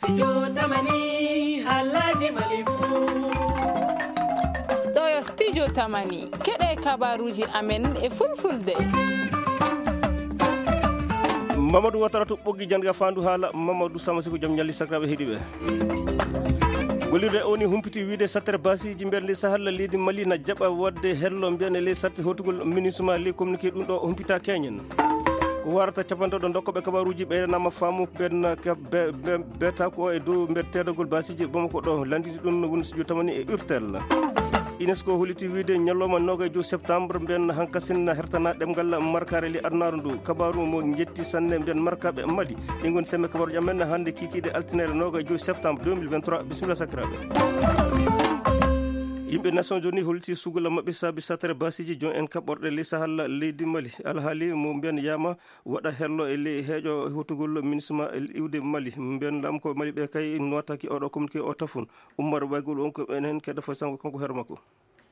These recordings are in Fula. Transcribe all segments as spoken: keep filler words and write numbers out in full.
Studio Tamani, haalaaji Mali fuu. Ɗo yo Studio Tamani, keɗe kabaruuji amen e fulfulde. Mamadou Watara to ɓoggi jannga faandu haala, Mamadou Samasigo, jam ñalli sakiraaɓe heɗiiɓe. Gollirde o ni humpiti wiide sattere basiiji mbeɗa ndi sahal leydi Mali na jaɓa waɗde hello mbiyan e ley satte hotugol minisma ley communiqué ɗum ɗo humpita keñen. Ko warata capanɗe ɗo dokkoɓe kabaruuji ɓeydanama faamu ɓen ka-, be-, be-, beta ko e dow mbeɗa teedagol basiiji Bamako ɗo landini ɗum no woni studio tamani e urtel. UNESCO holliti wiide ñalawma noga e joyi septembre mbiyan hankasin na hertana ɗemngal markare ley adunaaru ndu. Kabaru mo jetti sanne mbiyan markaɓe Mali. Ɗi ngoni semme kabaruuji amen hannde kikiiɗe altine noga e joyi septembre deux mille vingt-trois. Bisimilla sakiraaɓe. Yimɓe Nations Unies holliti sugula maɓɓe saabi sattere basiiji jon en kaɓɓorɗe ley sahal leydi Mali. Alhaali mo mbiyan yama waɗa hello e ley heeƴo hotugol minisma e iwde Mali. Mbiyan laamu ko Mali ɓe kay notaki oɗo communiqué o tafun. Ummar Waygol on ko ɓen hen kedda fay sango kanko hero makko.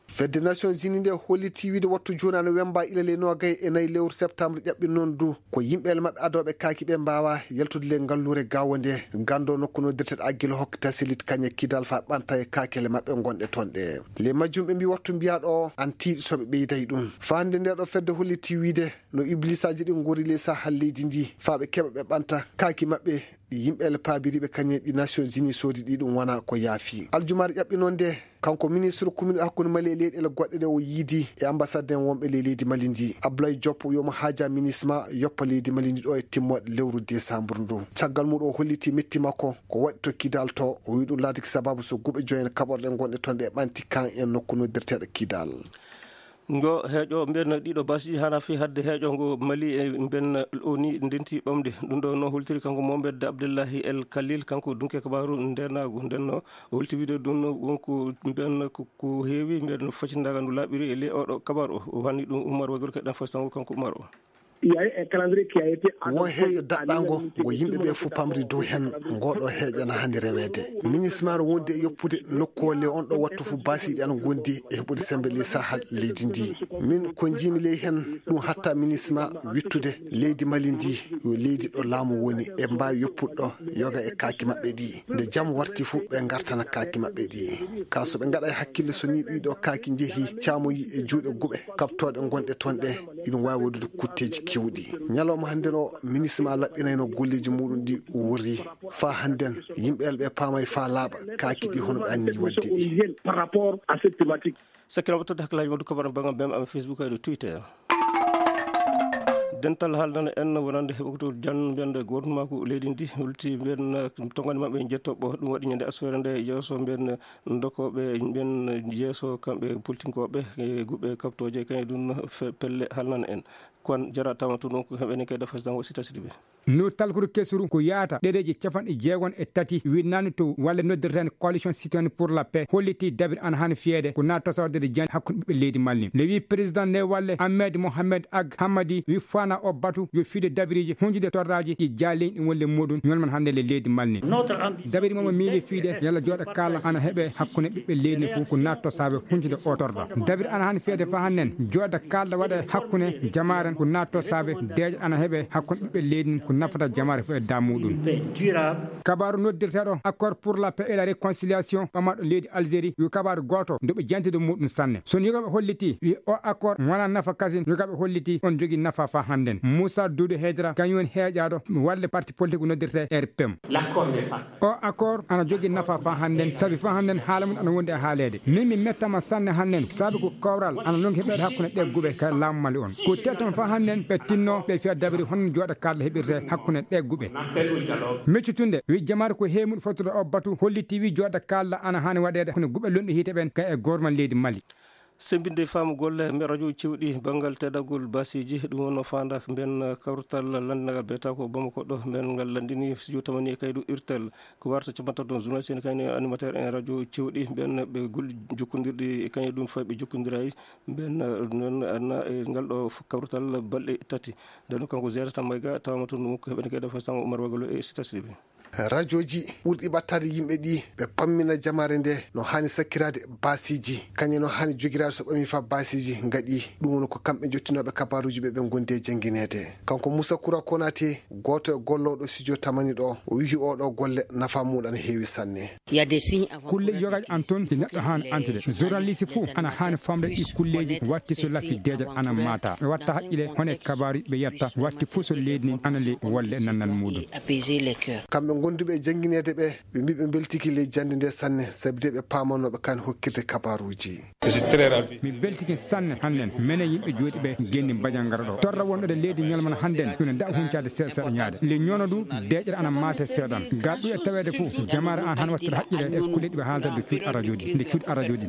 Fedde Nations Unies nde holliti wiide wattu jooni ana wemba ila ley nogay e nayi lewru septembre ƴaɓɓi noon du. Ko yimɓeele maɓɓe adooɓe kaaki ɓe mbawa yaltude ley ngalluure gawo nde gando nokku noddirteɗo Aguelhok Tasselit Kanya Kidal fa ɓanta e kaakele maɓɓe gonɗe toon ɗe. Ley majjum ɓe mbi wattu mbiyaɗo o an tiiɗi soɓe ɓeyday ɗum. Fa hannde nde ɗo fedde holliti wiide no iblisaji ɗin ngori ley sahal leydi ndi fa ɓe keɓa ɓe ɓanta kaaki maɓɓe. Ɗi yimɓeele paabiriɓe kañum e ɗi Nations Unies soodi ɗi ɗum wona ko yaafi. Aljumaare ƴaɓɓi noon nde, kanko ministre commune hakkunde Mali e leyɗeele goɗɗe ɗe o yiidi e ambassade en wonɓe ley leydi Mali ndi. Ablaye Diop yo mo haaja minisma yoppa leydi Mali ndi ɗo e timmoɗe lewru décembre ndu. Caggal mum o holliti metti makko ko waɗi to Kidal to, o wi ɗum laatiki sababu so guɓe joyen kaɓorɗe gonɗe toon ɗe ɓanti kan en nokku noddirteɗo Kidal. Ngo heeƴo mbiyen ɗiɗo basiiji hana fi hadde heeƴo ngo Mali e mbiyen o ni ndenti ɓamde. Ɗum ɗo no holtiri kanko Mohamed Abdullahi El Khalil, kanko dunke kabaru ndenagu. Nden no holti wiide ɗum no wonko mbiyen ko, ko heewi mbiyen facindaga ndu laaɓiri e ley oɗo kabaru o. O hanni ɗum Umar Wagir keɗen fasango kanko Umar o. Won heeƴo daɗɗango ngo yimɓe ɓe fof pamri dow hen, ngoɗo heeƴo na hannde reweede. Minisma no wondi e yoppude nokkuwol e on ɗo wattu fof basiiɗi ana ngondi e heɓude sembe ley sahal leydi ndi. Min ko njiimi ley hen ɗum hatta minisma wittude leydi Mali ndi yo leydi ɗo laamu woni e mbaawi yoppude ɗo yoga e kaaki maɓɓe ɗi. Nde jam warti fof ɓe ngartana kaaki maɓɓe ɗi. Ka so ɓe ngaɗa e hakkille so ni ɗiɗo kaaki njehi caamoyi e juuɗe guɓe kaɓtooɗe gonɗe toon ɗe, ina waawi waɗude kutteeji keewɗi. Ñalawma hannden o, minisma laɓɓinayno golleeji muɗum ɗi o worri. Faa hannden, yimɓe elɓe paamay faa laaɓa kaaki ɗi hono ɓe anni waɗde ɗi. Sakkiraɓe todde hakkillaaji waddu kabaram banngal bem am Facebook e Twitter. Dental haalnana en wonande heɓoto jan mbiyande gootnumaaku leydi ndi, holti mbiyen tongani maɓɓe jettoɓo. Ɗum waɗi ñande asfere nde yeeso mbiyen dokoɓe mbiyen yeeso kamɓe politinkooɓe e guɓe kaɓtooje kañe ɗum fe-, pelle haalnana en. Kon jara tawma tun on ko heɓene kay dafa tan o sita sidi ɓe. No talkuru kesuru ko yaata ɗereji capanɗe jeegon e tati winnani to walle noddirten Coalition Citoyenne pour la Paix holliti dabir an han fiyede ko na tosorde de jan hakkunde ɓiɓɓe leydi Mali. Nde wi président nde walle Ahmed Mohamed Ag Hamadi wi fana o batu yo fiide dabiriji hunjude torraji ɗi jaali ɗi wolle muɗum ñolman hannde le leydi Mali. Dabiri momo miili fiide yalla jooɗa kala ana heɓe hakkunde ɓiɓɓe leydi fof ko na tosaɓe hunjude o torra. Dabir ana han fiyede fa hannen jooɗa kala waɗa hakkunde jamaren ko na tosaɓe deeƴa ana heɓe hakkunde ɓiɓɓe leydi ko nafata jamare fof e damuɗum. Kabaru noddirteɗo accord pour la paix et la réconciliation ɓamaɗo leydi Algérie yo kabaru goto nde ɓe jantude muɗum sanne. So ni ko ɓe holliti wi o accord wona nafa kasin yo kaɓe holliti on jogi nafa fa hannden. Moussa Doudou Hedra kañum woni heeƴaɗo walle parti politique noddirte R P M. O accord ana jogi nafa fa hannden sabi fa hannden haala mum ana wondi e haaleede. Min mi mettama sanne hannden sabi ko kawral ana longi heɓeede hakkunde ɗe guɓe ka laamu Mali on. Ko telton fa hannden ɓe tinno ɓe fiya dabiri honno jooɗa kala heɓirte hakkunde ɗe guɓe. Meccutunde wi jamaare ko heemuɗo fottude o batu holliti wi jooɗa kala ana hani waɗeede kono guɓe lonɗi hiite ɓen ka e gormal leydi Mali. Sembinde faamu golle mbe radio cewɗi banngal teddagol basiiji, ɗum wonno faanda mben kawtal lanndinaagal biyata ko Bamako ɗo, mben ngal lanndini studio tamani e kaydu irtel. Ko warta capantato journaliste en kayni animateur en radio cewɗi mben ɓe golli jokkondirɗi e kañe ɗum fay ɓe jokkondirayi mben, eh, non, anna, eh, ngal ɗo f-, kawtal balɗe tati. Nden kanko Zerata Mayga tawama toon ɗum ko heɓen kayda fay sango Umar Wagalo e Sita Sidibe. Rajooji ɓurɗi ɓattaade yimɓe ɗi, ɓe pammina jamaare nde no haani sakkiraade baasiiji. Kañe no haani jogiraade so ɓami fa baasiiji ngaɗi. Ɗum woni ko kamɓe jottinooɓe kabaaruuji ɓe, ɓe ngondi e janngineede. Kanko Moussa Koura Konaté, gooto e gollooɗo studio Tamani ɗo, o wiyi oɗo golle nafa muɗum ana heewi sanne. Kulle yogaaji an toon ɗi neɗɗo haani antude. Journaliste fof ana haani famde ɗi kulleeji watti so lafi deeƴat ana maata. Ɓe watta haqqile hono e kabaaruuji ɓe yetta watti fof so leydi ndin ana le wolle e nannal muɗum. Kamɓe gonduɓe e janngineede ɓe, ɓe mbi ɓe mbeltiki ley jannde nde sanne, sabi de ɓe paamanooɓe kan hokkirde kabaaruuji. Mi beltike sanne hannden, menen yimɓe jooɗiiɓe genndi Bajangara ɗo. Torra wonɗo e leydi ñalmana hannden, ina daɗa huncaade seeɗa seeɗa ñaade. Le ñono du, deeƴere ana maate seeɗan. Gaa ɗum e taweede fof, jamaare an han wattata haqqile e kulle ɗi ɓe haalata nde cuuɗi arajooji, nde cuuɗi arajooji.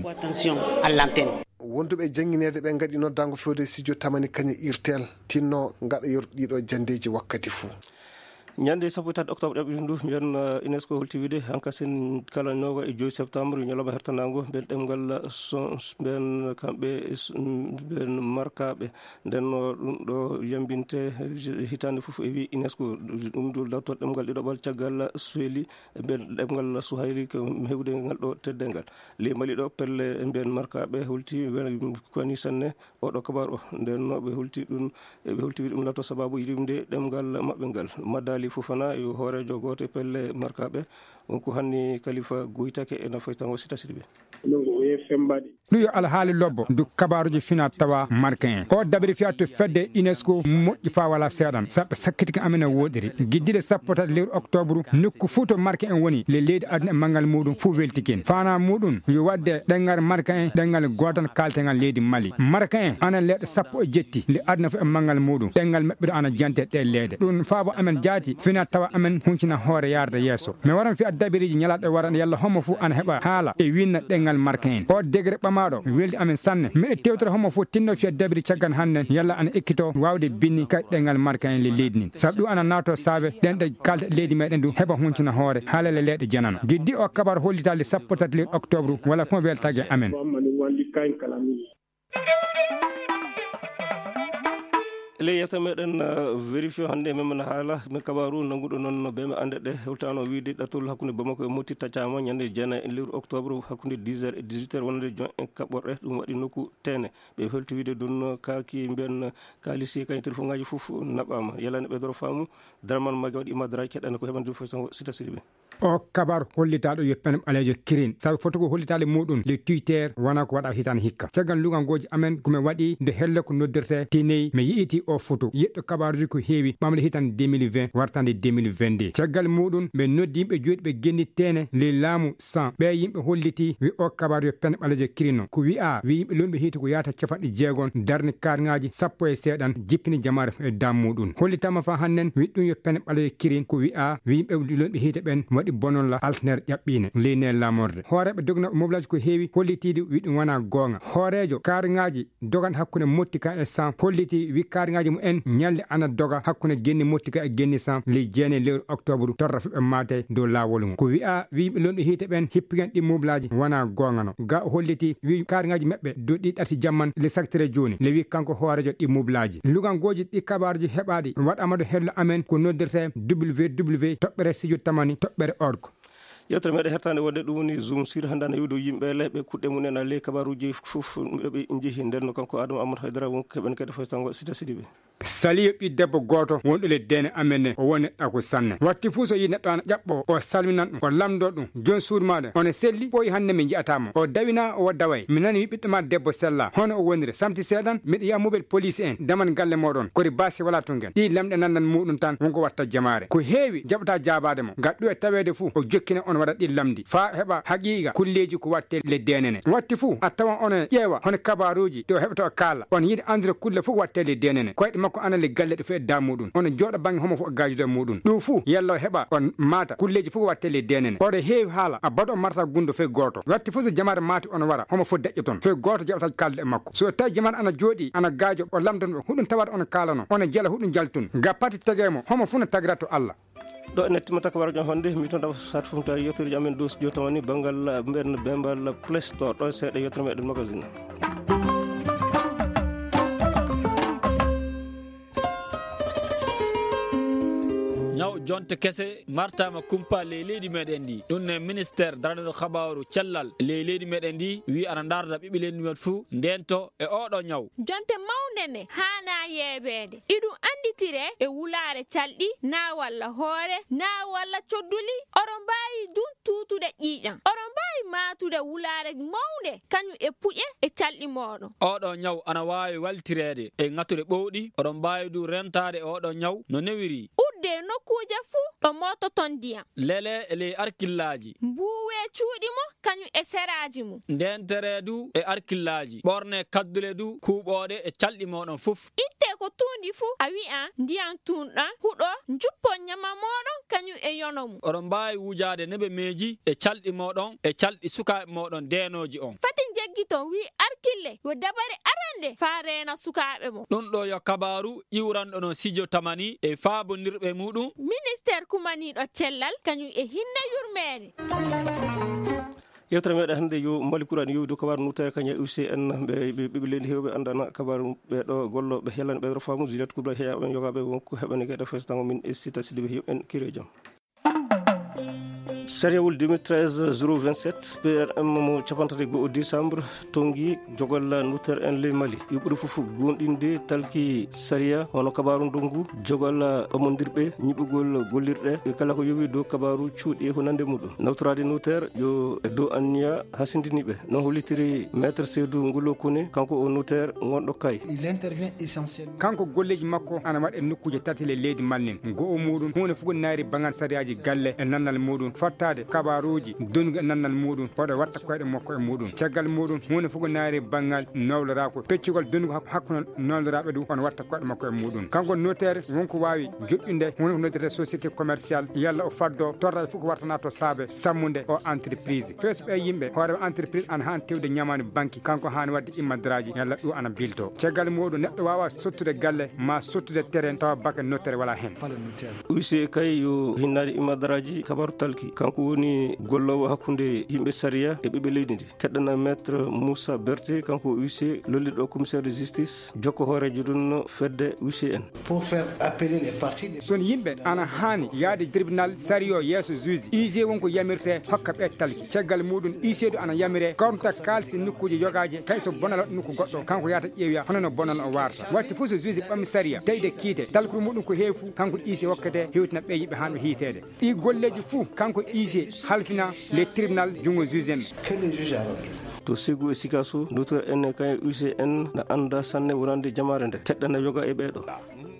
Wonduɓe e janngineede ɓe ngaɗi noddaango fewde studio Tamani Kañe Irtel, tinno ngaɗa yor ɗiɗo janndeeji wakkati fof. Ñande sappo e tati octobre ɗaɓɓiɗen ndu, mbiyen, eh, UNESCO holti wiide hanka sen kala noga e joyi septembre, ñalawma hertanango, mbiyen ɗemngal son, mbiyen kamɓe, s-, mbiyen markaɓe. Nden no ɗum ɗo yambinte, eh, hitande fof e wi UNESCO, ɗum ɗo dawtor ɗemngal ɗiɗaɓal caggal Swahili, mbiyen ɗemngal Swahili ko heɓude ngal ɗo teddengal. Ley Mali ɗo pelle mbiyen markaɓe holti, koni sanne, oɗo kabaru o. Nden no ɓe holti ɗum, e ɓe holti ɗum lato sababu yiɗimde ɗemngal maɓɓe ngal. Madali Fofana yo hooreejo gooto e pelle markaɓe. On ko hanni Kalifa Goytake e Nafoy Tango Sita Sidibe. Ɗum yo alhaali lobbo ndu kabaaruji fina tawa marka en. O dabiri fiya to fedde UNESCO moƴƴi fa wala seeɗan. Saɓe sakkitiki amen e woɗiri. Giddiɗe sappo tati lewru octobre, nokku fuu to marka en woni, le leydi aduna e manngal muɗum fuu weltikin. Fana muɗum yo waɗde ɗemngal marka en, ɗemngal gootal kaaltengal leydi Mali. Marka en ana leɗɗe sappo e jetti, le aduna fof e manngal muɗum. Ɗemngal maɓɓe ana jante ɗe leɗɗe. Ɗum faabo amen jaati, fina tawa amen huncina hoore yarde yeeso. Mi waran fiya dabiriji ñalaɗe wara yalla homo fof ana heɓa haala e winna ɗemngal marka en. O degre ɓamaɗo weldi amen sanne. Miɗo tewtata homo fof tinno fiya dabiri caggan hannden yalla ana ekkito wawde binni kay ɗemngal marka en le leydi nin. Sabu ɗum ana nato saabe ɗen ɗe kalda leydi meɗen ɗum heɓa huncina hoore haalele leɗɗe janano. Giddi o kabar hollitaali sappo tati lewru octobre wala ko weltage amen. Ley yewta meɗen, uh, vérifié hannde men men haala men kabaru nannguɗo noon no be me annde ɗe hewtano wiide ɗatol hakkunde Bamako e Moti taccama ñande jeenayi e lewru octobre hakkunde dix heures e dix-huit heures wonande jon en kaɓɓorɗe. Ɗum waɗi nokku tene ɓe felti wiide ɗum kaaki mbiyen kaalisi kañum telefoŋaaji fof naɓaama. Yalani ɓe doro faamu. Darman mage waɗi ima daraji keɗɗani ko heɓande fof tan sita siriɓe. O kabar hollitaaɗo yo pen ɓaleejo kirin sabu foti ko hollitaade muɗum le Twitter wona ko waɗa hitande hikka. Caggal lugangooji amen ko mi waɗi nde helle ko noddirte tiney mi yi'iti o foto yeɗɗo kabaruji ko heewi ɓamde hitande deux mille vingt wartande deux mille vingt-deux. Caggal muɗum ɓe noddi yimɓe jooɗi ɓe genni tene le laamu san ɓe yimɓe holliti wi o kabaru yo pen ɓaleejo kirino ko wi'a wi yimɓe lunɓe hiiti ko yaata capanɗe jeegon darni karŋaaji sappo e seeɗan jippini jamaare fof e dam muɗum. Hollitama fa hannden wi ɗum yo pen ɓaleejo kirin ko wi'a wi yimɓe lunɓe hiite ɓen waɗi bonolla alteneere ƴaɓɓiine leyne lamorde. Hooreeɓe dogna moblage ko heewi hollitiiɗi wi ɗum wona goonga. Hooreejo karŋaaji dogan hakkunde Mottika e Sam holliti wi karŋaaji mumen ñalli ana doga hakkunde genni Mottika e genni Sam ley jeenayi lewru octobre torra fuɓe maate dow laawol ngu. Ko wi'a wi yimɓe lunɓe hiite ɓen hippigen ɗi moblaaji wona goonga no. Ga o holliti wi karŋaaji maɓɓe dow ɗi ɗati jamman le saktire jooni le wi kanko hooreejo ɗi moblaaji. Lugangooji ɗi kabaruji heɓaaɗi waɗama ɗo hello amen ko noddirte W W W toɓɓere studio tamani toɓɓere org. Yewtere meɗen hertande wonde ɗum woni Zoom sur hannde ana iwdo yimɓe le ɓe kuɗɗe mumen a ley kabaruji fof ɓe njehi nden no kanko Adama Amadou Haydara won keɓen kede fof tango sita sidiɓe. Saliyo ɓi debbo gooto wonɗo le dene amen ne o woni ɗako sanne watti fuu so yi neɗɗo ana ƴaɓɓo o salminan ɗum o lamdo ɗum jon suudu maɗa ono selli ɓooyi hannde mi ji'atamo o dawina o daway mi nani wi ɓiɗɗo ma debbo sella hono o woniri samti seeɗan miɗo yaha mobel police en daman galle moɗon kori basi wala tungen ɗi lamɗe nandan muɗum tan wonko watta jamaare ko heewi jaɓata jaabaade mo ngal ɗo e taweede fuu o jokkina on waɗa ɗi lamdi faa heɓa haqiiqa kulleeji ko watte le denene watti fuu a tawan on ƴeewa hono kabaruuji ɗi o heɓata o kaala on yiɗi anndude kulle fof watte le denene koyɗe makko ana le galle ɗo fof e da muɗum on jooɗa bannge homo fof o gaajude muɗum ɗum fuu yalla o heɓa on maata kulleeji fof watte le denene oɗo heewi haala a baɗo marta gundo fof gooto watti fof so jamaare maati on wara homo fof deƴƴo toon fof gooto jaɓata kalde e makko so tawi jamaare ana jooɗi ana gaajo o lamdan ɓe huɗum tawata on kaalano on jela huɗum jaltun ga pati tege mo homo fof no tagira to Allah. Ɗo en timata kabaruji am hannde mi toon dawa sat fof tawi yewtereji amen dow studio tawani banngal mben bembal play store ɗo seeɗa yewtere meɗen magazine. Ñaw Jonte kese martaama kumpa ley leydi meɗen ndi. Ɗum ne ministeer daraniiɗo kabaaru cellal ley leydi meɗen ndi wi ana ndaarda ɓiɓɓe leydi men fuu ndento e oɗo ñaw. Jonte mawnde ne haanaa yeebeede. Iɗum annditire e wulaare calɗi, naa walla hoore, naa walla codduli. Oɗo mbaawi dun tuutude ƴiiƴam. Oɗo mbaawi maatude wulaare mawnde, kañum e puƴe e calɗi mooɗon. Oɗo ñaw ana waawi waltireede e ŋatuɗe ɓowɗi. Oɗo mbaawi du rentaade oɗo ñaw no newiri. Udde nokkuuje fuu ɗo moototon ndiyam. Lele e ley arkillaaji. Mbuuwe cuuɗi mo, kañum e seraaji mum. Ndeentere du e arkillaaji. Ɓorne kaddule du kuuɓooɗe e calɗi mooɗon fof. Itte ko tuundi fuu, a wi'an ndiyam tuunɗam huɗo, njuppon ñama mooɗon, kañum e yono mum. Oɗon mbaawi wujaade nebemeeji e calɗi mooɗon e calɗi sukaaɓe mooɗon deenooji on. Fati njeggiton, wi arkille, yo dabare arande faa reena sukaaɓe mo. Ɗum ɗo yo kabaaru iwranɗo no Sijo Tamani e faabondirɓe muɗum. Ministeer kumaniiɗo cellal, kañum e hinne yurmeende. Yewtere meɗen hannde yo Mali Kuraani yowi dow kabaaru nuttere kañum e U C N, ɓe, ɓe, ɓiɓɓe leydi heewɓe anndana kabaaru ɓe ɗo gollo ɓe helani ɓe rofaamu Juliette Kubra heeya ɓen yogaaɓe wonko heɓani geɗe fes tango min e Sita Sidibe yo en kire jam. Sariyawol deux mille treize zéro vingt-sept P R M mo capantati go'o décembre tongi jogal nuttere en ley Mali. Yo ɓuri fof goonɗinde talki sariya hono kabaaru ndongu jogal ɓamondirɓe ñiɓugol gollirɗe e kala ko yowi dow kabaaru cuuɗi e ko nande muɗum. Nawtoraade notaire yo e dow anniya hasindiniiɓe. No hollitiri Maître Seydou Ngolo Kone, kanko o notaire ngonɗo Kay. Il intervient essentiellement. Kanko golleeji makko ana waɗe nokkuuje tati le leydi Mali nin. Go'o muɗum, huunde fof ko naari banngal sariyaaji galle e nannal muɗum, fattaade kabaaruuji donnugo e nannal muɗum, oɗo watta koyɗe makko e muɗum. Caggal muɗum, huunde fof ko naari banngal nowloraaku, peccugol donnugo hak-, hakkunde nowloraaɓe du, on watta koyɗe makko e muɗum. Kanko notaire wonko waawi joƴƴude huunde ko noddirta société commerciale, yalla o faddo torraaji fof ko wartana to saabe sammude o entreprise. Fees ɓe yimɓe, hoore entreprise ana haani tewde ñamaani banki, kanko haani waɗde immadaraaji, yalla ɗum ana bilto. Caggal muɗum, neɗɗo waawa sottude galle, ma sottude terrain, tawa baka notaire wala hen. Pas le notaire. Huissier kay yo hinnaade immadaraaji kabaaru talki. Kanko woni golloowo hakkunde yimɓe sariya e ɓiɓɓe leydi ndi. Keɗɗana Maître Moussa Berté, kanko huissier lollirɗo commissaire de justice, jokko hooreejo ɗum fedde huissier en. Pour faire appeler les parties des... Son yimɓe ana haani yaade tribunal sariyo yeeso juge. Huissier won ko yamirte hokka ɓe talki. Caggal muɗum huissier ɗo ana yamire kawta kaalisi nokkuuji yogaaji, kay so bonal waɗi nokku goɗɗo, kanko yaata ƴeewiya hono no bonal o warta. Watti fof so juge ɓammi sariya, tawi de kiite, talkuru muɗum ko heewi fuu, kanko huissier hokkete hewtina ɓe yimɓe haa ɓe hiiteede. Ɗi golleeji fuu, kanko huissier halfina le tribunal junngo juge en. Que le juge a rendu. To Ségou e Sikasso, notaire en e kañum huissier en na annda sanne wonande jamaare nde. Keɗɗana yoga e ɓeeɗo.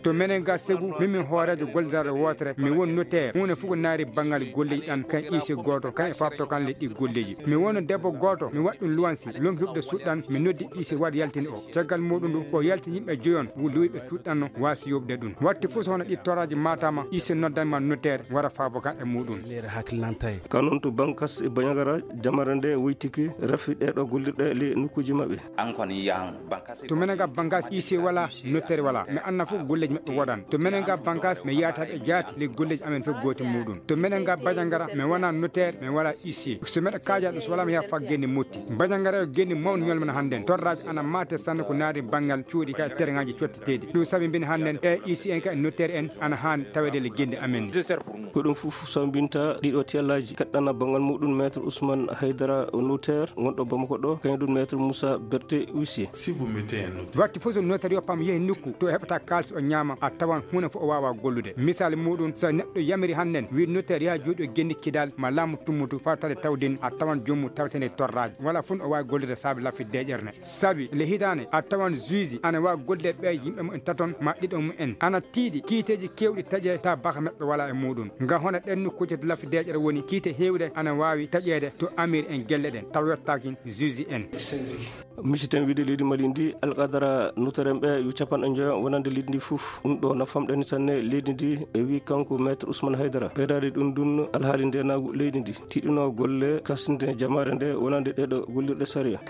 To menen ga Ségou, min mi hooreejo gollirde wootere, mi won notaire. Huunde fof ko naari banngal golleeji ɗan, kan huissier gooto, kan e faabto kan le ɗi golleeji. Mi won debbo gooto, mi waɗi ɗum luwansi, lompi huɓde suuɗ ɗan, mi noddi huissier waɗi yaltini o. Caggal muɗum ɗum, o yalti yimɓe joyon, wu luwiɓe cuuɗɗanno waasi yoɓde ɗum. Watti fof so hono ɗi toraaji matama, huissier noddanma notaire, wara faabo kan e muɗum. Leere hakkilantay. Ka noon to Bankas e Bandiagara, jamare nde woytike, rafi ɗeɗo gollirɗe le nokkuuji maɓɓe. An kon yahan Bankas. To menen ga Bankas, huissier wala, notaire wala. Mi anna fof golleeji maɓɓe woɗan. To menen ga Bankas, mi yaata ɓe jaati le golleeji amen fof gooti muɗum. To menen ga Bandiagara, mi wona notaire, mi wala huissier. So meɗa kaaja ɗum, so wala mi yaha faggeende motti. Bandiagara yo geendi mawni ñolmana hannden. Torraaji ana maate sanne ko naari banngal cuuɗi ka terrainŋaaji cotteteeɗi. Ɗum sabi mbin hannden e huissier en ka e notaire en ana haani taweede le geendi amen. Ko ɗum fof sambinta ɗiɗo tellaaji. Kaɗɗana banngal muɗum Maître Ousmane Haydara o notaire ngonɗo Bamako ɗo, kañum ɗum Maître Moussa Berté huissier. Si vous mettez un notaire. Watti fof so notaire yoppama yehi nokku to heɓata kaalis o ñaama, a tawan huunde fof o waawa gollude. Misal muɗum, so neɗɗo yamiri hannden, wi notaire yaha jooɗi o genni kidal ma laamu tummutu fawtaade tawdin, a tawan joomum tawetene torraaji. Wala fof o waawi gollude saabe laffi deeƴere nde. Sabi le hitaande a tawan juge ana waawi gollude ɓe yimɓe mumen taton ma ɗiɗo mumen. Ana tiiɗi kiiteeji keewɗi taƴe ta baka maɓɓe wala e muɗum. Nga hona ɗen nokkuuje to laffi deeƴere woni kiite heewɗe ana waawi taƴeede to amir en gelle ɗen taw yottaaki juge en. Miciten wiide leydi Mali ndi, alqadara notaire en ɓe yo capanɗe njoya wonande leydi ndi fof. Ɗum ɗo na famɗani sanne leydi ndi, e wi kanko Maître Ousmane Haydara. Ɓeydaade ɗum ɗum alhaali ndenaagu leydi ndi. Tiiɗuno golle kasinde jamaare nde wonande ɗeɗo gollirɗe sariya.